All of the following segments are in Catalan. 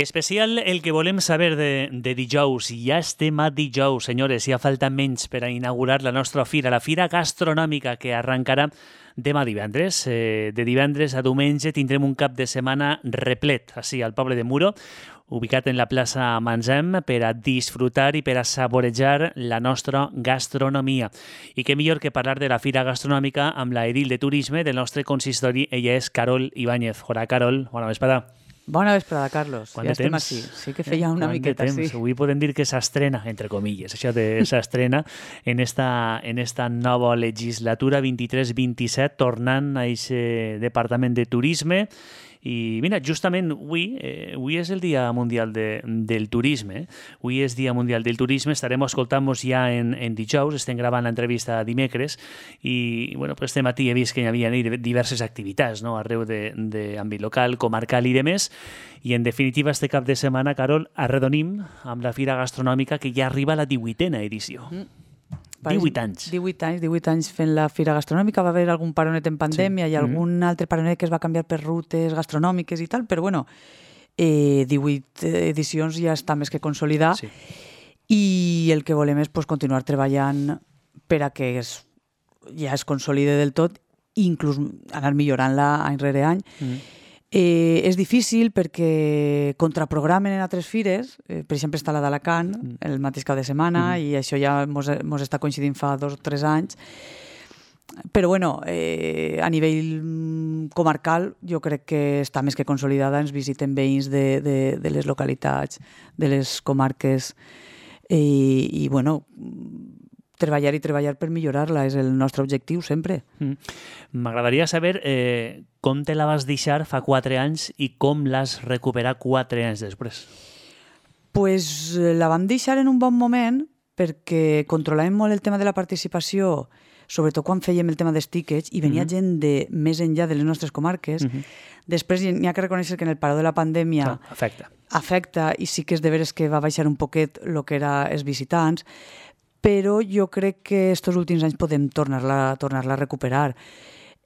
Especial el que volem saber de dijous. Ja estem a dijous, senyores. Ja falta menys per a inaugurar la nostra fira, la fira gastronòmica que arrencarà demà divendres. De divendres a diumenge tindrem un cap de setmana replet, així, al poble de Muro, ubicat en la plaça Manzem, per a disfrutar i per a saborejar la nostra gastronomia. I què millor que parlar de la fira gastronòmica amb la edil de turisme del nostre consistori. Ella és Carol Ibáñez. Hola, Carol. Bona vesprada. Bona vesprada, Carlos. Quant ja de estem temps? així. Sí que feia una miqueta, sí. Avui podem dir que s'estrena, entre comilles, això de s'estrena en esta nova legislatura 23-27, tornant a aquest Departament de Turisme. I mira, justament avui és el Dia Mundial del Turisme. Avui és Dia Mundial del Turisme. Estarem escoltant-nos ja en dijous. Estem gravant l'entrevista dimecres i bueno, pues este matí he vist que hi havia diverses activitats, no? Arreu d'àmbit local, comarcal i demés. I en definitiva, este cap de setmana, Carol, arredonim amb la Fira Gastronòmica que ja arriba a la 18a edició. 18 anys. 18 anys fent la fira gastronòmica. Va haver algun paronet en pandèmia i algun altre paronet que es va canviar per rutes gastronòmiques i tal, però bueno, 18 edicions ja està més que consolidar. Sí. I el que volem és continuar treballant per a que ja es consolide del tot i inclús anar millorant-la any rere any. És difícil perquè contraprogramen en altres fires, per exemple està la d'Alacant el mateix cap de setmana i això ja mos està coincidint fa 2 o 3 anys, però bueno, a nivell comarcal jo crec que està més que consolidada. Ens visiten veïns de les localitats, de les comarques i bueno, treballar per millorar-la és el nostre objectiu sempre. M'agradaria saber com te la vas deixar fa 4 anys i com l'has recuperat 4 anys després. Pues la vam deixar en un bon moment perquè controlàvem molt el tema de la participació, sobretot quan fèiem el tema dels tickets, i venia gent de més enllà de les nostres comarques. Després n'hi ha que reconèixer que en el paró de la pandèmia afecta i sí que és de veres que va baixar un poquet el que eren els visitants, però jo crec que estos últims anys podem tornar-la a recuperar.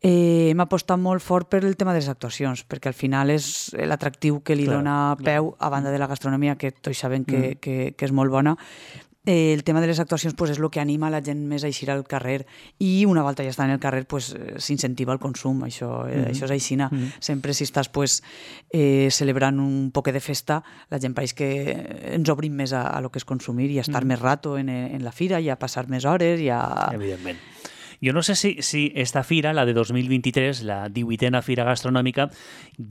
Hem apostat molt fort per el tema de les actuacions, perquè al final és l'atractiu que li dona peu, a banda de la gastronomia, que tots sabem que és molt bona. El tema de les actuacions és el que anima la gent més a eixir al carrer, i una volta ja està en el carrer s'incentiva el consum. Això és aixina. Sempre si estàs celebrant un poc de festa, la gent pareix que ens obrim més a lo que és consumir i a estar més rato en la fira i a passar més hores. Evidentment. Jo no sé si esta fira, la de 2023, la 18a Fira Gastronòmica,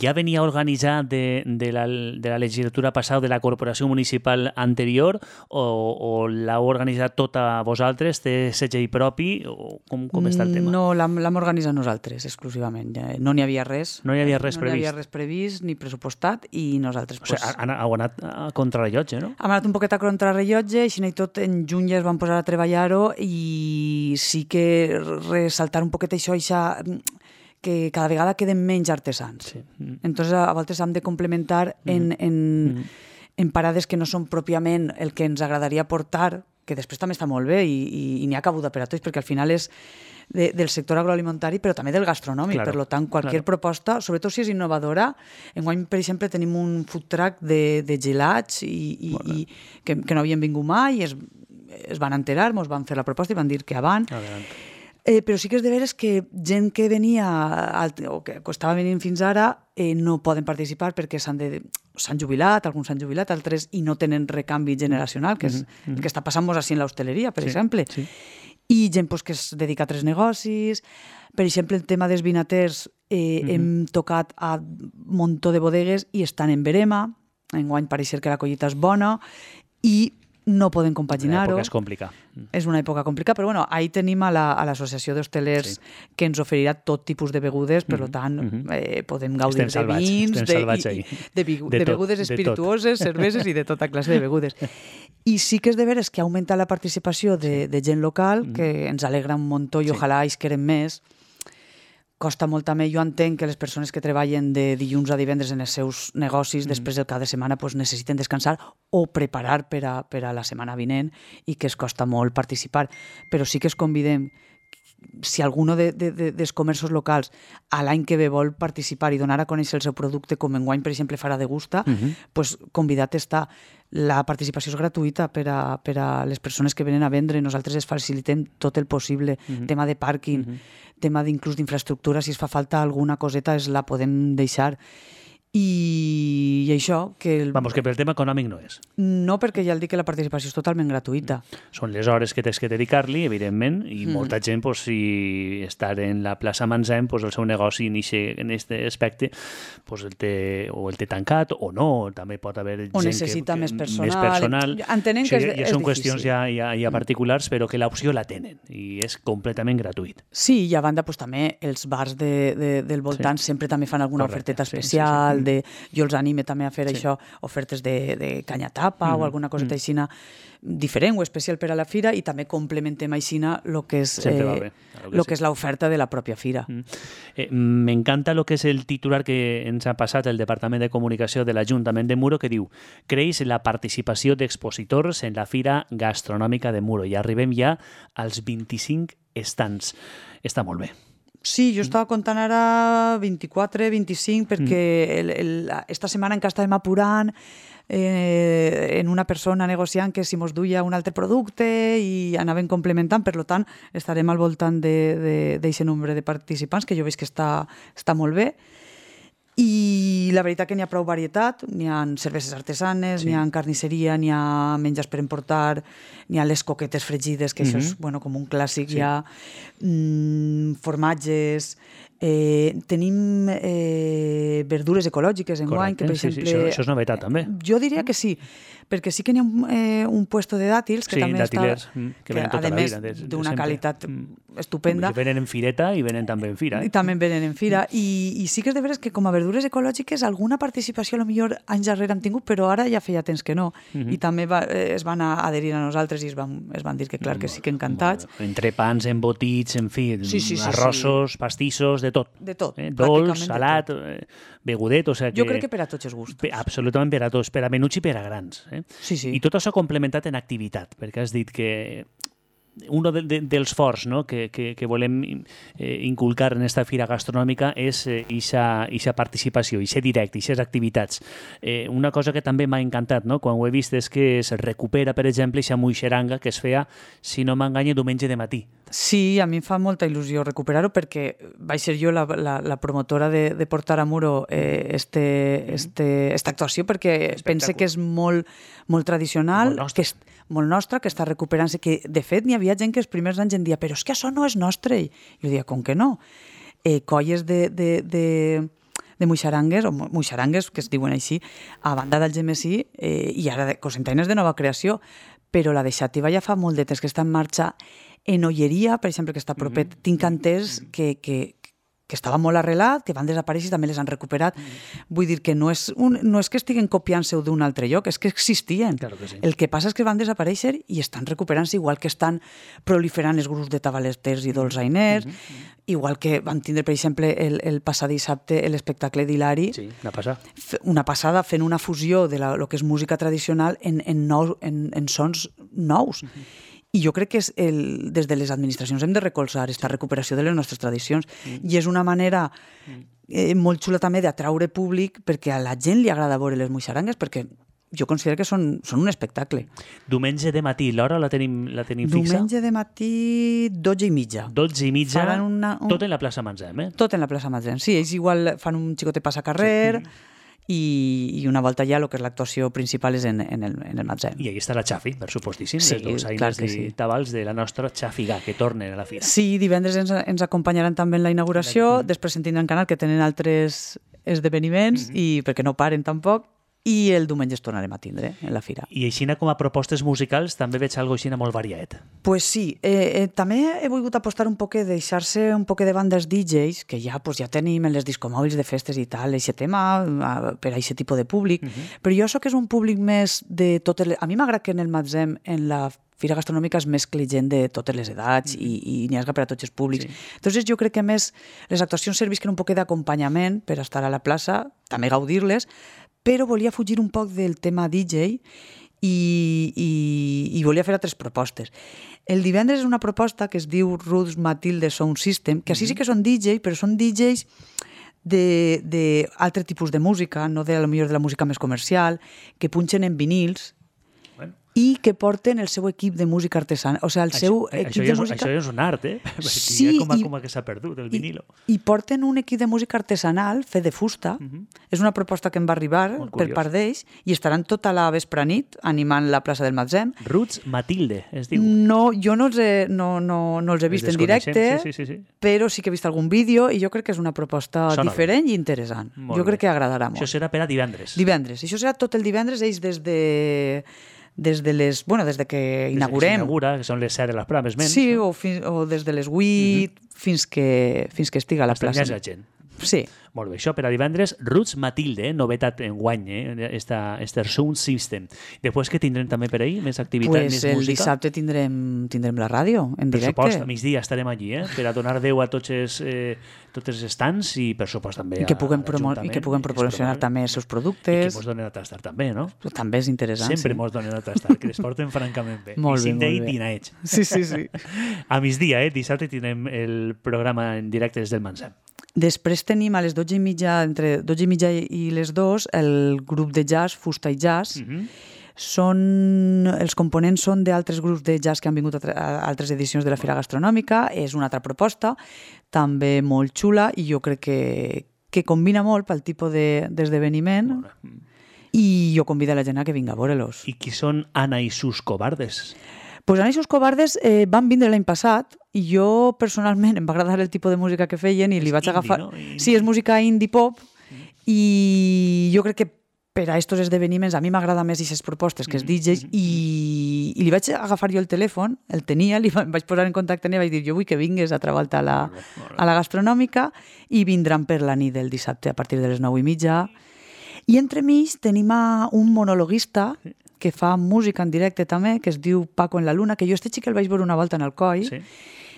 ja venia organitzada de la legislatura passada de la corporació municipal anterior o l'heu organitzat tota vosaltres, té segell propi, o com està el tema? No, l'hem organitzat nosaltres exclusivament. No n'hi havia res. No hi havia res previst. No hi havia res previst ni pressupostat i nosaltres... O sigui, heu anat a contrarrellotge, no? Hem anat un poquet a contrarrellotge, així i tot en juny ja es van posar a treballar-ho i sí que ressaltar un poquet això que cada vegada queden menys artesans. Sí. Entonces, a voltes hem de complementar en parades que no són pròpiament el que ens agradaria portar, que després també està molt bé i n'hi ha cabuda per a tots, perquè al final és del sector agroalimentari, però també del gastronòmic. Per tant, qualsevol proposta, sobretot si és innovadora. Enguany, per exemple, tenim un food truck de gelats que no havien vingut mai i es van enterar, ens van fer la proposta i van dir que avant. Però sí que és de veres que gent que venia o que estava venint fins ara no poden participar perquè s'han jubilat, alguns s'han jubilat, altres i no tenen recanvi generacional, que és el que està passant-nos així en l'hostaleria, per exemple. I gent que es dedica a altres negocis. Per exemple, el tema dels vinaters, hem tocat a un muntó de bodegues i estan en verema. Enguany pareix que la collita és bona i no poden compaginar-ho. L'època és complicada. És una època complicada, però bueno, ahí tenim a l'Associació d'Hostelers que ens oferirà tot tipus de begudes, per tant, podem gaudir de vins, de begudes espirituoses, cerveses i de tota classe de begudes. I sí que és de veres que ha augmentat la participació de gent local, que ens alegra un muntó i ojalà es queren més. Costa molt també, jo entenc que les persones que treballen de dilluns a divendres en els seus negocis després del cap de setmana necessiten descansar o preparar per a la setmana vinent i que es costa molt participar, però sí que es convidem si alguno dels comerços locals a l'any que ve vol participar i donar a conèixer el seu producte, com enguany, per exemple, farà de Gusta, pues, convidat està. La participació és gratuïta per a les persones que venen a vendre. Nosaltres es facilitem tot el possible. Tema de pàrquing, tema d'inclús d'infraestructura, si es fa falta alguna coseta la podem deixar. I això... Vamos, que pel tema econòmic no és. No, perquè ja el dic que la participació és totalment gratuïta. Són les hores que tens que dedicar-li, evidentment, i molta gent, pues, si estar en la plaça Manzem, pues, el seu negoci en aquest aspecte pues, el té tancat o no, també pot haver gent o necessita més personal. Entenem que és són difícil. Qüestions ja particulars, però que l'opció la tenen i és completament gratuït. Sí, i a banda pues, també els bars del voltant sempre també fan alguna oferteta especial. Jo els anime també a fer això, ofertes de canya-tapa o alguna coseta aixina diferent o especial per a la fira, i també complementem aixina el que és l'oferta de la pròpia fira. M'encanta el que és el titular que ens ha passat el Departament de Comunicació de l'Ajuntament de Muro, que diu: creix la participació d'expositors en la Fira Gastronòmica de Muro, i arribem ja als 25 estants. Està molt bé. Sí, jo estava comptant ara 24, 25, perquè esta setmana encara estàvem apurant en una persona negociant que si mos duia un altre producte i anàvem complementant, per tant estarem al voltant d'aquest nombre de participants, que jo veig que està molt bé. I la veritat que n'hi ha prou varietat, n'hi ha cerveses artesanes, n'hi ha carnisseria, n'hi ha menjars per emportar, n'hi ha les coquetes fregides, que això és com un clàssic, hi ha formatges, tenim verdures ecològiques enguany, que per exemple... Això és novetat també. Jo diria que sí, perquè sí que n'hi ha un puesto de dàtils que també està... que venen tota la vida. D'una qualitat estupenda. Venen en fireta i venen també en fira. I també venen en fira. I sí que és de veres que com a verdures ecològiques alguna participació a lo millor anys darrere hem tingut, però ara ja feia temps que no. I també es van adherir a nosaltres i es van dir que clar que sí que encantats. Entrepans, embotits, en fi, arrossos, pastissos, de tot. De tot. Dolç, salat, begudet, o sigui que... Jo crec que per a tots els gustos. Absolutament per a tots, per a menuts i per a grans. Sí. I tot això complementat en activitat, perquè has dit que un dels forts, no, que volem inculcar en esta fira gastronòmica és aquesta participació, aquest directe, aquestes activitats. Una cosa que també m'ha encantat, no, quan ho he vist, és que es recupera, per exemple, aquesta muixeranga que es feia, si no m'enganya, diumenge de matí. Sí, a mi em fa molta il·lusió recuperar-ho, perquè vaig ser jo la promotora de portar a Muro esta actuació, perquè pense que és molt tradicional, que és molt nostra, que està recuperant-se, que de fet n'hi havia gent que els primers anys en dia però és que això no és nostre. I jo dia, com que no? Colles de muixarangues, o muixarangues, que es diuen així, a banda d'Algemesí, i ara cosentaines de nova creació, però la de Xàtiva ja fa molt de temps que està en marxa. En Olleria, per exemple, que està propet, tinc entès que estava molt arrelat, que van desaparèixer i també les han recuperat. Vull dir que no és que estiguen copiant-se d'un altre lloc, és que existien. Claro que sí. El que passa és que van desaparèixer i estan recuperant-se, igual que estan proliferant els grups de tabaleters i dolçainers, igual que van tindre, per exemple, el passat dissabte l'espectacle d'Hilari. Sí, una passada fent una fusió de lo que és música tradicional en sons nous. I jo crec que des de les administracions hem de recolzar aquesta recuperació de les nostres tradicions. I és una manera molt xula també d'atraure públic, perquè a la gent li agrada veure les muixarangues, perquè jo considero que són un espectacle. Diumenge de matí, l'hora la tenim fixa? Diumenge de matí, 12:30. 12:30, tot en la plaça Manzem, Tot en la plaça Manzem, sí. Ells igual fan un xicotet passacarrer, i una volta ja el que és l'actuació principal és en el Manzem. I ahí està la Xafi, per supostíssim, sí, les dolçaines i tabals de la nostra Xafiga, que tornen a la fira. Sí, divendres ens acompanyaran també en la inauguració, després en tindran canal que tenen altres esdeveniments, i perquè no paren tampoc, i el diumenge es tornarem a tindre en la fira. I aixina com a propostes musicals també veig algo aixina molt variat. Pues sí, també he volgut apostar un poc, deixar-se un poc de bandes DJs, que ja tenim en les discomòbils de festes i tal, aquest tema, per a aquest tipus de públic, però jo això que és un públic més de totes les... A mi m'agrada que en el Manzem, en la fira gastronòmica, es mescli gent de totes les edats i n'hi ha per a tots els públics. Entonces jo crec que més les actuacions servisquen un poc d'acompanyament per estar a la plaça, també gaudir-les, però volia fugir un poc del tema DJ i volia fer altres propostes. El divendres és una proposta que es diu Ruth Matilde Sound System, que així sí que són DJs, però són DJs d'altre tipus de música, no de, millor de la música més comercial, que punxen en vinils i que porten el seu equip de música artesana, o sigui, el seu equip de música... Això és un art, Sí, com que s'ha perdut, el vinilo. I porten un equip de música artesanal fet de fusta. És una proposta que em va arribar per part d'ells i estaran tota la nit animant la plaça del Matzem. Ruth Matilde, es diu. No, jo no els he vist en directe, sí. però sí que he vist algun vídeo i jo crec que és una proposta diferent i interessant. Jo crec que agradarà molt. Això serà per a divendres. Divendres. Això serà tot el divendres, ells des de que inaugurem. Que són les 7 de les proves menys. Sí, o des de les 8 fins que estiga a la plaça. Està la gent. Sí. Molt bé, això per a divendres. Roots Matilde, novetat en guany, este Sound System. Després que tindrem també per ahir més activitat, més música. El dissabte tindrem la ràdio en directe. Per supost, a migdia estarem allí, per a donar veu a tots els estants i per supost també I que puguem promocionar també els seus productes. I que mos donen a tastar també, no? També és interessant. Sempre mos donen a tastar, que les porten francament bé. Molt bé, molt bé. Dinaets. Sí. A migdia, dissabte, tindrem el programa en directe des del Mansem. Després tenim a les 12:30, entre 12:30 i les 2, el grup de jazz, Fusta i Jazz. Els components són d'altres grups de jazz que han vingut a altres edicions de la Fira Gastronòmica. És una altra proposta, també molt xula, i jo crec que combina molt pel tipus d'esdeveniment. I jo convido a la gent a que vinga a veure-los. I qui són Ana i sus cobardes? Pues Ana i sus cobardes van vindre l'any passat i jo personalment em va agradar el tipus de música que feien i li vaig agafar... No? Sí, és música indie pop i jo crec que per a estos esdeveniments a mi m'agrada més aquestes propostes que els DJs i li vaig agafar jo el telèfon, el tenia, em vaig posar en contacte i vaig dir jo vull que vingues altra volta a la gastronòmica i vindran per la nit del dissabte a partir de les 9:30 i entremig tenim un monologuista que fa música en directe també, que es diu Paco en la Luna, que jo este xic el vaig veure una volta en el Coi,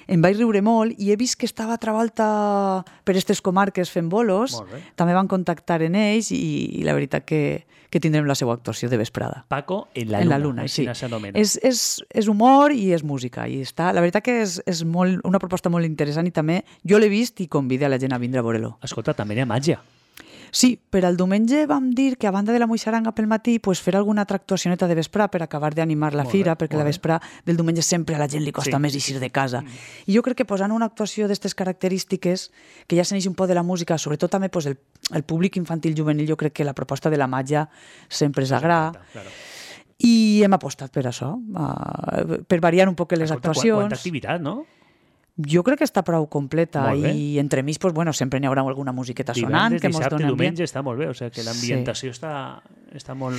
em vaig riure molt i he vist que estava altra volta per aquestes comarques fent bolos, també van contactar en ells i la veritat que tindrem la seva actuació de vesprada. Paco en la Luna, sí. És humor i és música, i la veritat que és una proposta molt interessant i també jo l'he vist i convido a la gent a vindre a veure-lo. Escolta, també hi ha màgia. Sí, per al diumenge vam dir que a banda de la moixaranga pel matí fer alguna altra actuacioneta de vesprà per acabar d'animar la fira, perquè la vesprà del diumenge sempre a la gent li costa més eixir de casa. I jo crec que posant una actuació d'aquestes característiques, que ja s'aneix un poc de la música, sobretot també el públic infantil juvenil, jo crec que la proposta de la màgia sempre és agrada. I hem apostat per això, per variar un poc les actuacions. Quanta activitat, no? Jo crec que està prou completa i entremig sempre n'hi haurà alguna musiqueta sonant que mos dona ambient. Diumenge està molt bé, o sigui que l'ambientació està molt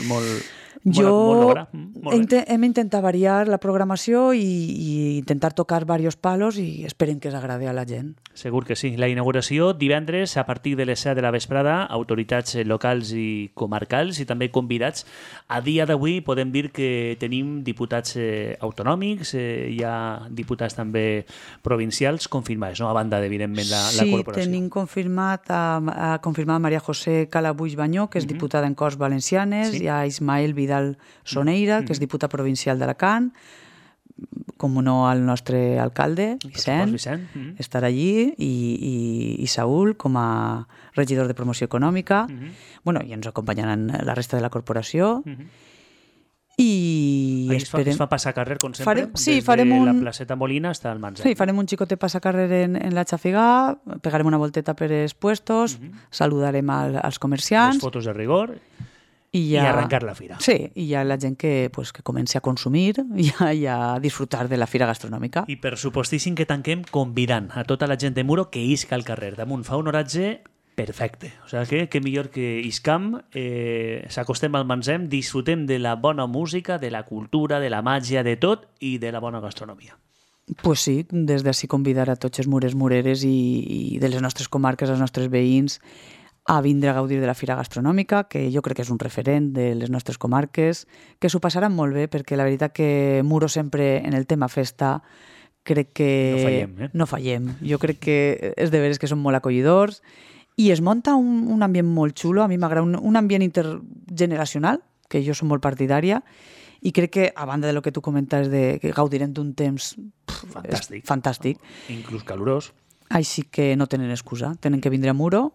lograda. Hem intentat variar la programació i intentar tocar diversos palos i esperem que s'agradi a la gent. Segur que sí. La inauguració divendres a partir de les 7 de la vesprada, autoritats locals i comarcals i també convidats. A dia d'avui podem dir que tenim diputats autonòmics, hi ha diputats també provincials confirmats, no? A banda d'evidentment la corporació. Sí, tenim confirmat Maria José Calabuix Banyó, que és diputada en Corts Valencianes, hi ha Ismael Vidal Soneira, que és diputat provincial d'Alacant, com no el nostre alcalde, Vicent, estarà allí, i Saúl com a regidor de promoció econòmica. I ens acompanyaran la resta de la corporació. I esperem... Es fa passacarrer, com sempre, des de la placeta Molina fins al Mansem. Sí, farem un xicotet passacarrer en la Xafigà, pegarem una volteta per els puestos, saludarem als comerciants... Les fotos de rigor i arrencar la fira. Sí, i ja la gent que comenci a consumir i a disfrutar de la fira gastronòmica. I per supostíssim que tanquem convidant a tota la gent de Muro que isca al carrer. Damunt fa un oratge perfecte. O sigui que millor que iscam, s'acostem al Mansem, disfrutem de la bona música, de la cultura, de la màgia, de tot i de la bona gastronomia. Pues sí, des d'ací convidar a tots els murers, mureres i de les nostres comarques, els nostres veïns, a vindre a gaudir de la Fira Gastronòmica, que jo crec que és un referent de les nostres comarques, que s'ho passaran molt bé, perquè la veritat que Muro sempre en el tema festa crec que... No fallem. Jo crec que és de veres que són molt acollidors i es munta un ambient molt xulo, a mi m'agrada un ambient intergeneracional, que jo som molt partidària, I crec que, a banda de lo que tu comentes, que gaudirem d'un temps fantàstic. Inclús calorós. Així que no tenen excusa. Tenen que vindre a Muro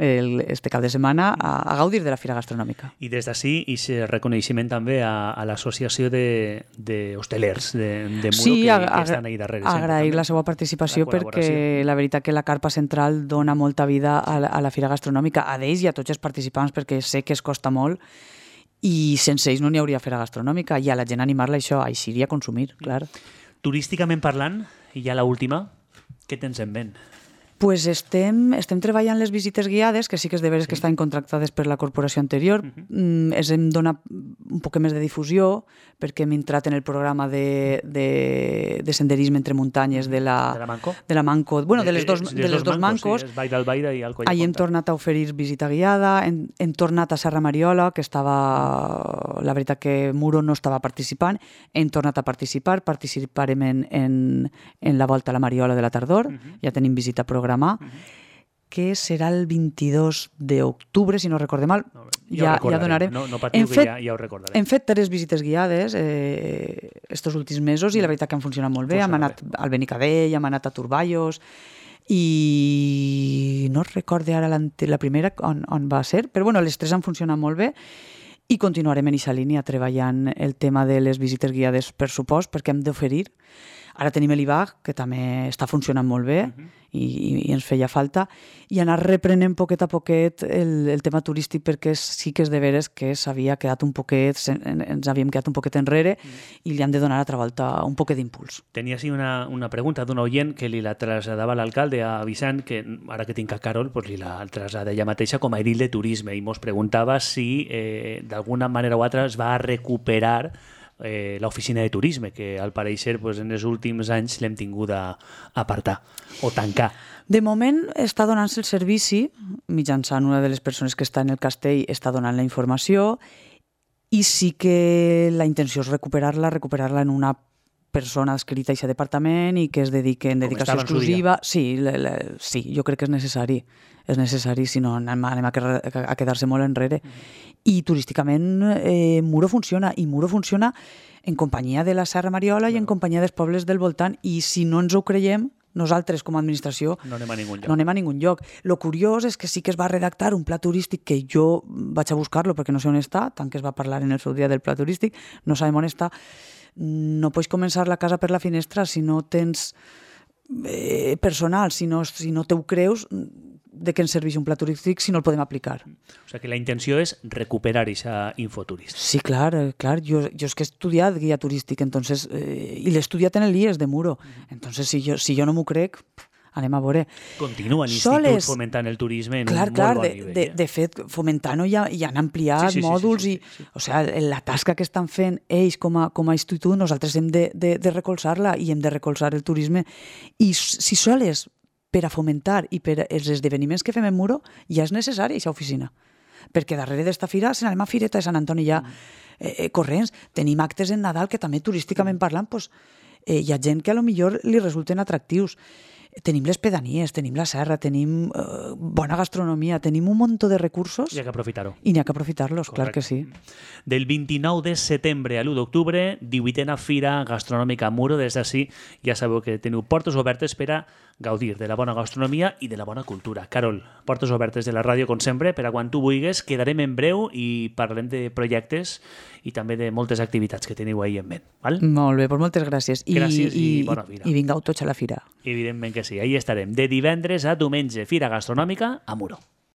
este cap de setmana a gaudir de la Fira Gastronòmica. I des d'ací, i reconeixement també a l'associació d'hostelers de Muro que estan ahí darrere. Agrair la seva participació perquè la veritat que la carpa central dona molta vida a la Fira Gastronòmica, a d'ells i a tots els participants, perquè sé que es costa molt i sense ells no n'hi hauria Fira Gastronòmica, i a la gent animar-la això, a eixir i a consumir, clar. Turísticament parlant, i ja l'última, què tens en ment? Pues estem treballant les visites guiades, que sí que és de veres que estan contractades per la corporació anterior. Es hem donat un poc més de difusió, perquè hem entrat en el programa de senderisme entre muntanyes de la Manco, bueno, de les dos Mancos. Sí, Vall d'Albaida i el Coll de Ahí hem tornat a oferir visita guiada, hem tornat a Serra Mariola, que estava, la veritat que Muro no estava participant, hem tornat a participar, participarem en la Volta a la Mariola de la tardor, ja tenim visita programada, que serà el 22 d'octubre, si no recordem mal. Ja donarem. No patiu, que ja ho recordarem. Hem fet 3 visites guiades estos últims mesos i la veritat que han funcionat molt bé. Hem anat al Benicadell, hem anat a Turballos i no recorde ara la primera on va ser, però bueno, les 3 han funcionat molt bé i continuarem en aquesta línia treballant el tema de les visites guiades per supost, perquè hem d'oferir. Ara tenim l'IBAG, que també està funcionant molt bé i ens feia falta, i anar reprenent poquet a poquet el tema turístic, perquè sí que és de veres que ens havíem quedat un poquet enrere i li han de donar a altra volta un poquet d'impuls. Tenia així una pregunta d'un oient que li la traslladava a l'alcalde, a Vicent, que ara que tinc a Carol, li la traslladava ella mateixa com a edil de turisme, i mos preguntava si d'alguna manera o altra es va recuperar l'oficina de turisme, que al pareixer en els últims anys l'hem tingut a apartar o tancar. De moment està donant-se el servici, mitjançant una de les persones que està en el castell, està donant la informació, i sí que la intenció és recuperar-la en una persona adscrita a aquest departament i que es dediqui en dedicació exclusiva. Sí, jo crec que és necessari, si no anem a quedar-se molt enrere. I turísticament Muro funciona, i Muro funciona en companyia de la Serra Mariola i en companyia dels pobles del voltant, i si no ens ho creiem, nosaltres com a administració no anem a ningun lloc. Lo curiós és que sí que es va redactar un pla turístic, que jo vaig a buscar-lo perquè no sé on està, tant que es va parlar en el seu dia del pla turístic, no sabem on està. No pots començar la casa per la finestra si no tens personal, si no t'ho creus, de què ens serveix un pla turístic si no el podem aplicar. O sigui que la intenció és recuperar aquesta infoturística. Sí, clar. Jo és que he estudiat guia turístic, entonces, i l'he estudiat en el IES de Muro. Entonces, si jo no m'ho crec, anem a veure. Continua l'Institut fomentant el turisme en un molt bon nivell. De fet, fomentant-ho ja han ampliat mòduls i la tasca que estan fent ells com a institut, nosaltres hem de recolzar-la i hem de recolzar el turisme. I si sols per a fomentar i per els esdeveniments que fem en Muro ja és necessària aquesta oficina. Perquè darrere d'esta fira, si anem a Fireta de Sant Antoni ja corrents, tenim actes en Nadal que també turísticament parlant hi ha gent que a lo millor li resulten atractius. Tenim les pedanies, tenim la serra, tenim bona gastronomia, tenim un munt de recursos. I n'hi ha que aprofitar-ho. I n'hi ha que aprofitar-los, clar que sí. Del 29 de setembre a l'1 d'octubre, 18a Fira Gastronòmica a Muro. Des d'ací ja sabeu que teniu portes obertes per a gaudir de la bona gastronomia i de la bona cultura. Carol, portes obertes de la ràdio, com sempre, per a quan tu vulguis. Quedarem en breu i parlarem de projectes i també de moltes activitats que teniu ahir en ment. Val? Molt bé, doncs moltes gràcies. Gràcies i bona fira. I vingueu tots a la fira. Evidentment que sí. Ahí estarem. De divendres a diumenge, Fira Gastronòmica a Muro.